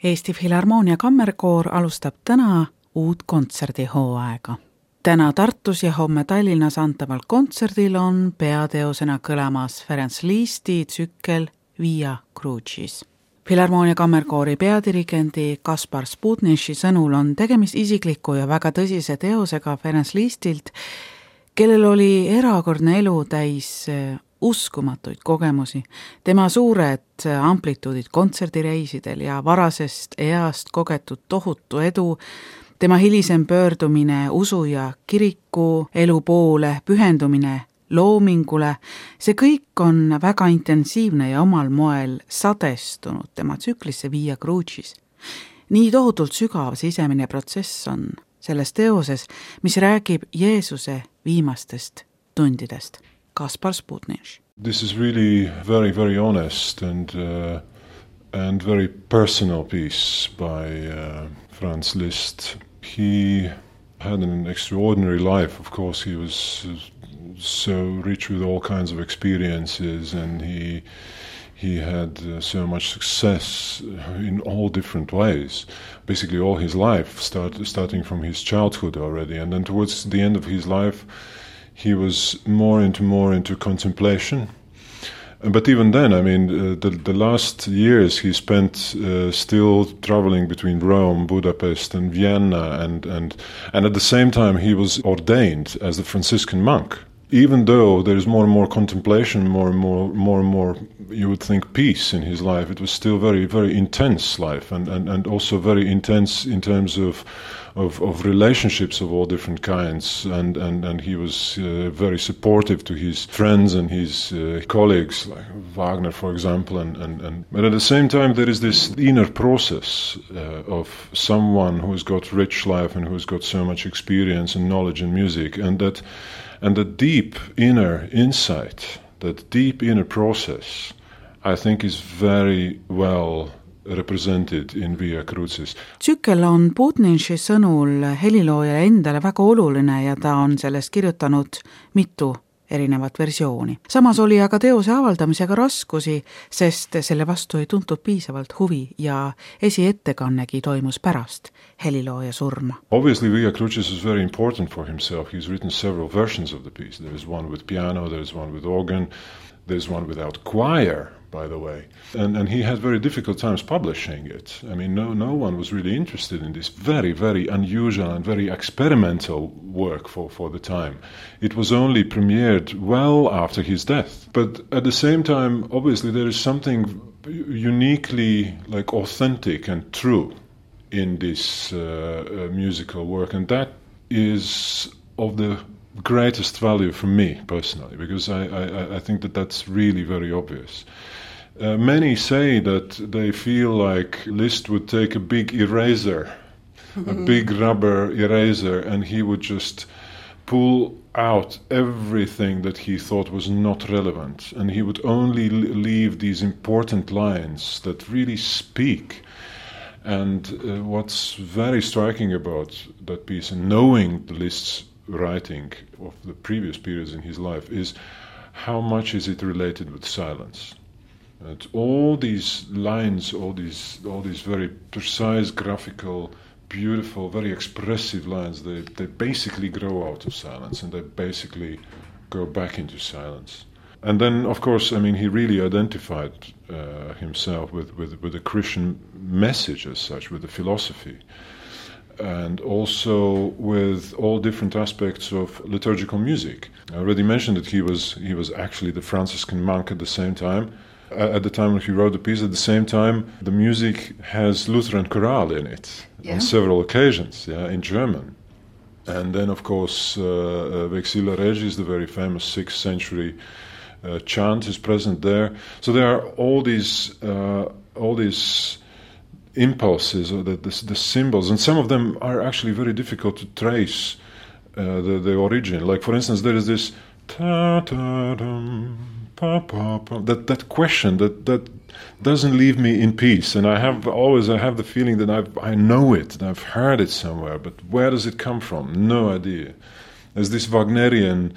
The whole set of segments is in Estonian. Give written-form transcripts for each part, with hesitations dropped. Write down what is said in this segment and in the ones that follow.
Eesti Filharmoonia Kammerkoor alustab täna uut kontserdihooaega. Täna Tartus ja homme Tallinnas antaval kontserdil on peateosena kõlamas Ferenc Liszti tsükkel Via Crucis. Filharmoonia Kammerkoori peadirigendi Kaspar Sputniši sõnul on tegemist isikliku ja väga tõsise teosega Ferenc Lisztilt, kellel oli erakordne elu täis uskumatuid kogemusi. Tema suured amplituudid kontserdireisidel ja varasest east kogetud tohutu edu, tema hilisem pöördumine usu ja kiriku elu poole, pühendumine loomingule, see kõik on väga intensiivne ja omal moel sadestunud tema tsüklisse Via Crucis. Nii tohutult sügav sisemine protsess on selles teoses, mis räägib Jeesuse viimastest tundidest. Kaspar Sputniš. This is really very, very honest and very personal piece by Franz Liszt. He had an extraordinary life. Of course, he was so rich with all kinds of experiences, and he had so much success in all different ways. Basically, all his life, starting from his childhood already, and then towards the end of his life, he was more into contemplation. But even then, I mean, the last years he spent still traveling between Rome, Budapest, and Vienna, and at the same time he was ordained as a Franciscan monk. Even though there is more and more contemplation, more and more, you would think, peace in his life, it was still very, very intense life, and also very intense in terms of relationships of all different kinds, and he was very supportive to his friends and his colleagues, like Wagner, for example, but at the same time there is this inner process of someone who has got rich life and who has got so much experience and knowledge in music, and the deep inner insight, that deep inner process, I think is very well represented in Via Crucis. Tsükkel on Sputniši sõnul heliloojale endale väga oluline ja ta on sellest kirjutanud mitu erinevat versiooni. Samas oli aga teose avaldamisega raskusi, sest selle vastu ei tuntud piisavalt huvi ja esiettekannegi toimus pärast helilooja surma. Obviously Via Crucis is very important for himself. He's written several versions of the piece. There is one with piano, there is one with organ, there is one without choir, by the way. And he had very difficult times publishing it. I mean, no one was really interested in this very, very unusual and very experimental work for the time. It was only premiered well after his death. But at the same time, obviously, there is something uniquely like authentic and true in this musical work, and that is of the greatest value for me personally, because I think that that's really very obvious. Many say that they feel like Liszt would take a big eraser, a big rubber eraser, and he would just pull out everything that he thought was not relevant, and he would only leave these important lines that really speak. And what's very striking about that piece, and knowing the Liszt's writing of the previous periods in his life, is how much is it related with silence. And all these lines, all these very precise, graphical, beautiful, very expressive lines, they basically grow out of silence, and they basically go back into silence. And then, of course, I mean, he really identified himself with the Christian message as such, with the philosophy, and also with all different aspects of liturgical music. I already mentioned that he was actually the Franciscan monk at the same time. At the time when he wrote the piece, at the same time, the music has Lutheran chorale in it on several occasions, in German. And then, of course, Vexilla Regis, the very famous 6th century chant, is present there. So there are all these impulses, or the symbols, and some of them are actually very difficult to trace the origin. Like, for instance, there is this ta-ta-dum, pa-pa-pa, that question that doesn't leave me in peace, and I have the feeling that I know it, and I've heard it somewhere, but where does it come from? No idea. There's this Wagnerian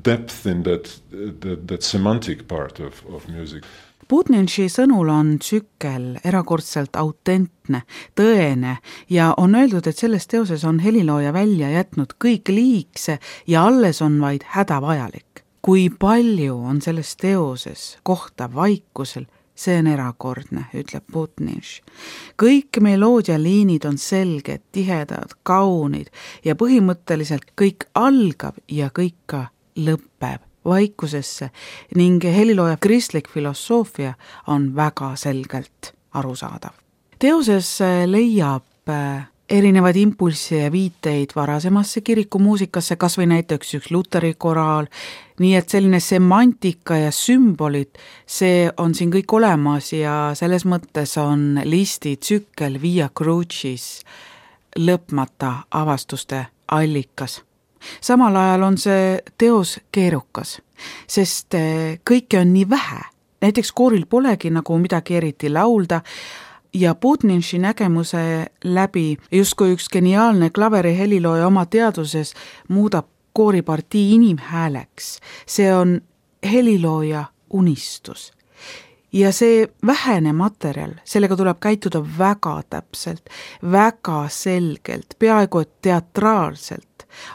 depth in that semantic part of music. Budniši sõnul on tsükkel erakordselt autentne, tõene ja on öeldud, et selles teoses on helilooja välja jätnud kõik liigse ja alles on vaid hädavajalik. Kui palju on selles teoses kohta vaikusel, see on erakordne, ütleb Budniš. Kõik meloodialiinid on selged, tihedad, kaunid ja põhimõtteliselt kõik algab ja kõik ka lõpeb vaikusesse ning helilooja kristlik filosoofia on väga selgelt arusaadav. Teoses leiab erinevaid impulsse ja viiteid varasemasse kirikumuusikasse, kas või näiteks üks Luteri koraal, nii et selline semantika ja sümbolid, see on siin kõik olemas ja selles mõttes on Listi tsükkel Via Crucis lõpmata avastuste allikas. Samal ajal on see teos keerukas, sest kõike on nii vähe. Näiteks kooril polegi nagu midagi eriti laulda ja Budniši nägemuse läbi justkui üks geniaalne klaveri helilooja oma teaduses muudab kooripartii inimhääleks. See on helilooja unistus. Ja see vähene materjal, sellega tuleb käituda väga täpselt, väga selgelt, peaaegu et teatraalselt,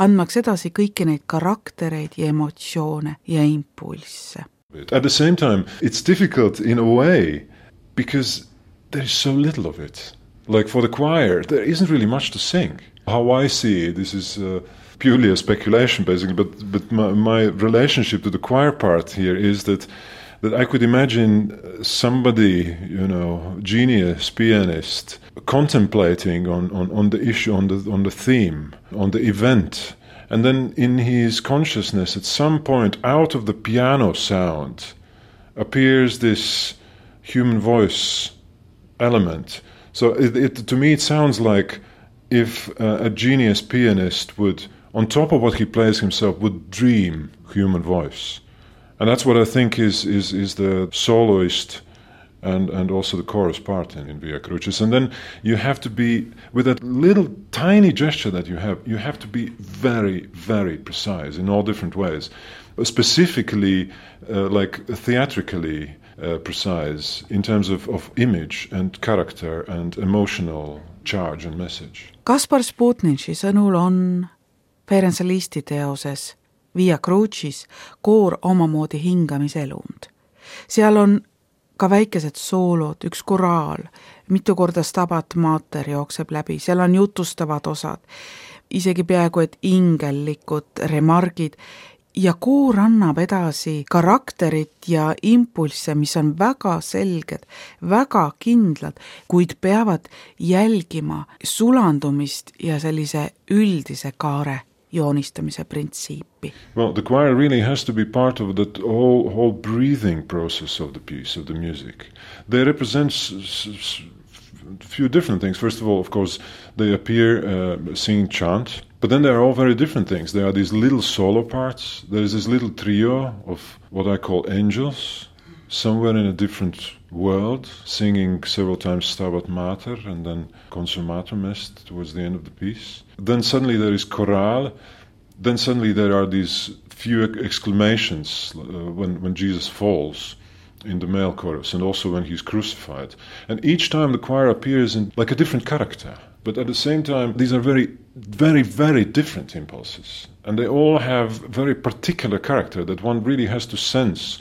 andmaks edasi kõiki neid karaktereid ja emotsioone ja impulsse. At the same time, it's difficult in a way because there is so little of it. Like for the choir, there isn't really much to sing. How I see it, this is purely a speculation basically, but my relationship to the choir part here is that I could imagine somebody, genius pianist, contemplating on the issue, on the theme, on the event, and then in his consciousness at some point out of the piano sound appears this human voice element. So to me it sounds like if a genius pianist would, on top of what he plays himself, would dream human voice. And that's what I think is the soloist and also the chorus part in Via Crucis. And then you have to be, with that little tiny gesture that you have to be very, very precise in all different ways. Specifically, like theatrically precise in terms of image and character and emotional charge and message. Kaspar Budniši sõnul on Ferenc Listi teoses Via Crucis koor omamoodi hingamiselund. Seal on ka väikesed soolod, üks koraal, mitu korda Stabat Mater jookseb läbi, seal on jutustavad osad, isegi peaaegu et ingellikud remargid ja koor annab edasi karakterit ja impulsse, mis on väga selged, väga kindlad, kuid peavad jälgima sulandumist ja sellise üldise kaare joonistamise printsiipi. Well, the choir really has to be part of that whole breathing process of the piece, of the music. They represent a few different things. First of all, of course, they appear singing chant, but then they are all very different things. There are these little solo parts. There is this little trio of what I call angels, somewhere in a different world, singing several times Stabat Mater and then Consumatum Est towards the end of the piece. Then suddenly there is chorale. Then suddenly there are these few exclamations when Jesus falls in the male chorus and also when he's crucified. And each time the choir appears in like a different character. But at the same time, these are very, very, very different impulses. And they all have very particular character that one really has to sense.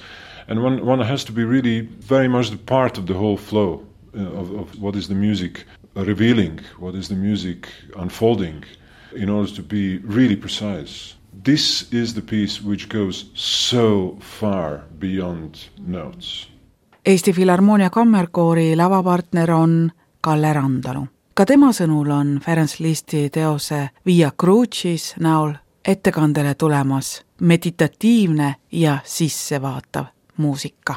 And one has to be really very much the part of the whole flow of what is the music revealing, what is the music unfolding, in order to be really precise. This is the piece which goes so far beyond notes. Eesti Filharmoonia kammerkoori lavapartner on Kalle Randalu. Ka tema sõnul on Ferenc Listi teose Via Crucis näol ettekandele tulemas meditatiivne ja sissevaatav muusika.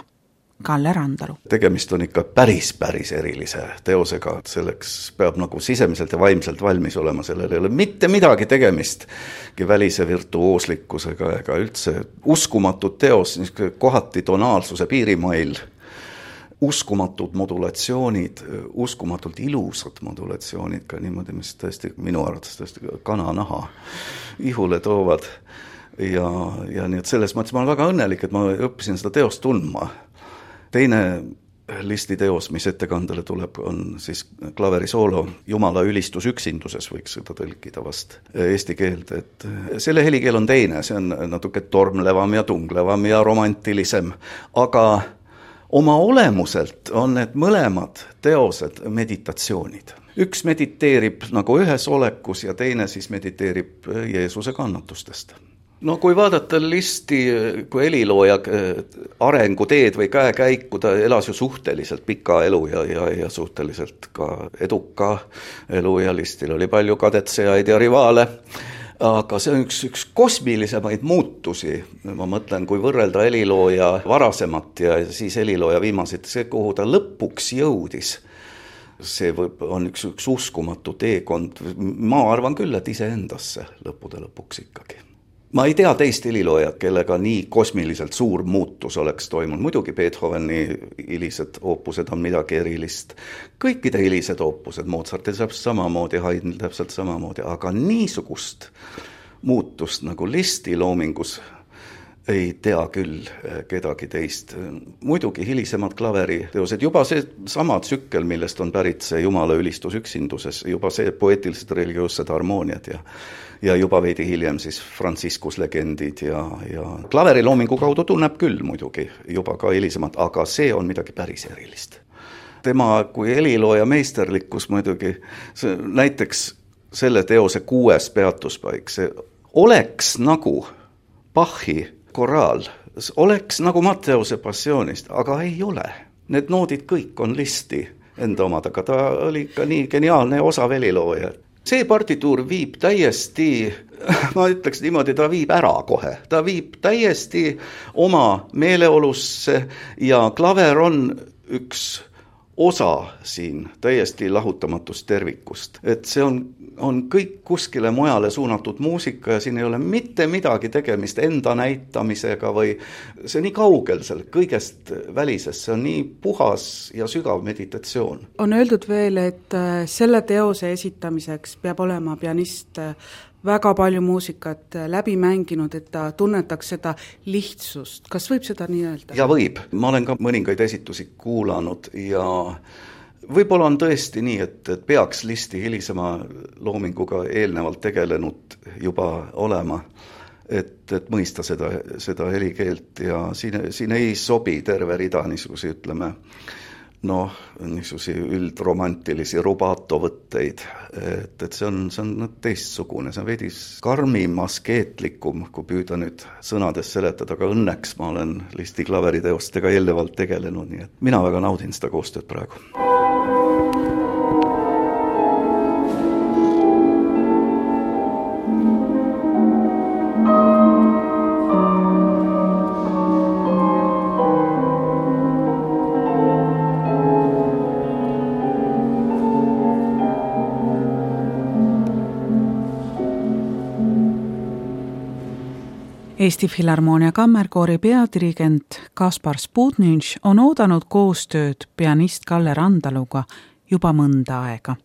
Kalle Randalu. Tegemist on ikka päris erilise teosega, selleks peab nagu sisemiselt ja vaimselt valmis olema, sellel ei ole mitte midagi tegemist välise virtuooslikkusega ega üldse uskumatud teos, kohati tonaalsuse piirimail, uskumatud modulatsioonid, uskumatult ilusad modulatsioonid ka niimoodi, mis tõesti minu arvates tõesti kananaha ihule toovad ja nii et selles mõttes ma olen väga õnnelik, et ma õppisin seda teost tundma. Teine Listi teos, mis ettekandele tuleb, on siis klaverisoolo Jumala ülistus üksinduses, võiks seda tõlkida vast eesti keelde, et selle helikeel on teine, see on natuke tormlevam ja tunglevam ja romantilisem, aga oma olemuselt on need mõlemad teosed meditatsioonid. Üks mediteerib nagu ühes olekus ja teine siis mediteerib Jeesuse kannatustest. No kui vaadata Listi kui helilooja arenguteed või käekäiku, ta elas ju suhteliselt pika elu ja suhteliselt ka eduka elu ja Listil oli palju kadetsejaid ja rivaale, aga see on üks kosmilisemaid muutusi, ma mõtlen, kui võrrelda helilooja varasemat ja siis helilooja viimaseid, see kuhu ta lõpuks jõudis, see on üks uskumatu teekond, ma arvan küll, et iseendasse lõppude lõpuks ikkagi. Ma ei tea teist heliloojat, kellega nii kosmiliselt suur muutus oleks toimunud. Muidugi Beethoveni hilised oopused on midagi erilist. Kõikide hilised oopused, Mozartil täpselt samamoodi, Haydnil täpselt samamoodi, aga niisugust muutust nagu Listi loomingus ei tea küll kedagi teist. Muidugi hilisemad klaveriteosed, juba see sama tsükkel, millest on pärit see Jumala ülistus üksinduses, juba see poeetilised religioossed harmooniad ja juba veidi hiljem siis Franciscus legendid ja klaveriloomingu kaudu tunneb küll muidugi juba ka hilisemad, aga see on midagi päris erilist. Tema kui helilooja meisterlikkus muidugi, näiteks selle teose 6. peatuspaik, see oleks nagu Bachi koraal, oleks nagu Matteuse passioonist, aga ei ole. Need noodid kõik on Listi enda omad, aga ta oli ka nii geniaalne ja osav helilooja. See partituur viib täiesti, ma ütleks niimoodi, ta viib ära kohe. Ta viib täiesti oma meeleolusse ja klaver on üks osa siin täiesti lahutamatust tervikust. Et see on kõik kuskile mujale suunatud muusika ja siin ei ole mitte midagi tegemist enda näitamisega või see on nii kaugel seal kõigest välisest, see on nii puhas ja sügav meditatsioon. On öeldud veel, et selle teose esitamiseks peab olema pianist väga palju muusikat läbi mänginud, et ta tunnetaks seda lihtsust. Kas võib seda nii öelda? Ja võib. Ma olen ka mõningaid esitusi kuulanud ja võib-olla on tõesti nii, et peaks Listi hilisema loominguga eelnevalt tegelenud juba olema, et mõista seda helikeelt ja siin ei sobi terve rida niisugusi, ütleme, niisugusi üldromantilisi rubatovõtteid, et see on teistsugune, see on veidi karmim, askeetlikum, kui püüda nüüd sõnades seletada, aga õnneks ma olen Listi klaveriteostega eelnevalt tegelenud, nii et mina väga naudin seda koostööd praegu. Eesti Filharmoonia kammerkoori peadirigent Kaspar Spudnitš on oodanud koostööd pianist Kalle Randaluga juba mõnda aega.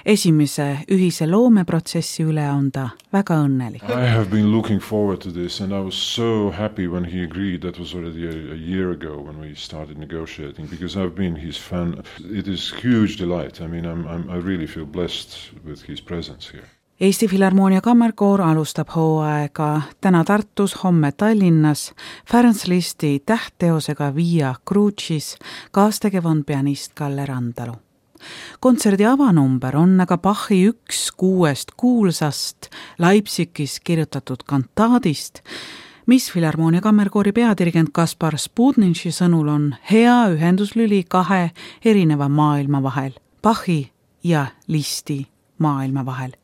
Esimese ühise loomeprotsessi üle on ta väga õnnelik. I have been looking forward to this and I was so happy when he agreed. That was already a year ago when we started negotiating because I've been his fan. It is huge delight. I mean, I really feel blessed with his presence here. Eesti Filharmoonia kammerkoor alustab hooaega täna Tartus, homme Tallinnas, Ferenc Listi tähtteosega Via Crucis, kaastegev on pianist Kalle Randalu. Kontserdi avanumber on aga Bachi 1/6 kuulsast Leipzigis kirjutatud kantaadist, mis Filharmoonia kammerkoori peadirigent Kaspar Spudnitši sõnul on hea ühenduslüli kahe erineva maailma vahel, Bachi ja Listi maailma vahel.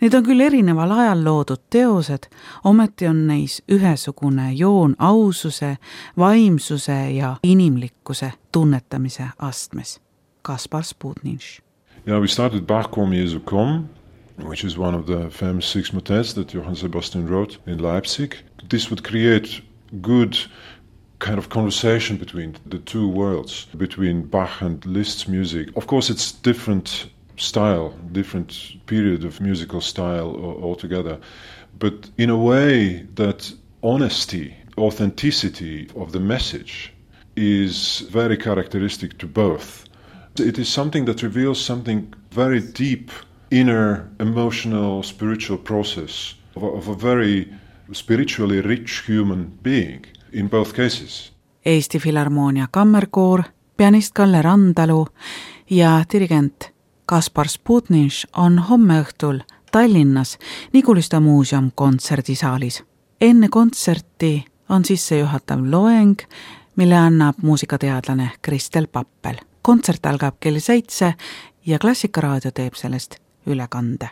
Need on küll erineval ajal loodud teosed, ometi on neis ühesugune joon aususe, vaimsuse ja inimlikkuse tunnetamise astmes. Kaspar Spudnitš. Yeah, we started Bach Comme Jesu Komm, which is one of the famous 6 motets that Johann Sebastian wrote in Leipzig. This would create good kind of conversation between the two worlds, between Bach and Liszt's music. Of course, it's different style, different period of musical style altogether, but in a way that honesty, authenticity of the message is very characteristic to both. It is something that reveals something very deep, inner, emotional, spiritual process of a very spiritually rich human being in both cases. Eesti Filharmoonia kammerkoor, pianist Kalle Randalu ja dirigent Kaspar Sputniš on homme õhtul Tallinnas Niguliste muuseum kontserdisaalis. Enne kontserti on sissejuhatav loeng, mille annab muusikateadlane Kristel Pappel. Kontsert algab kell 7 ja Klassikaraadio teeb sellest ülekande.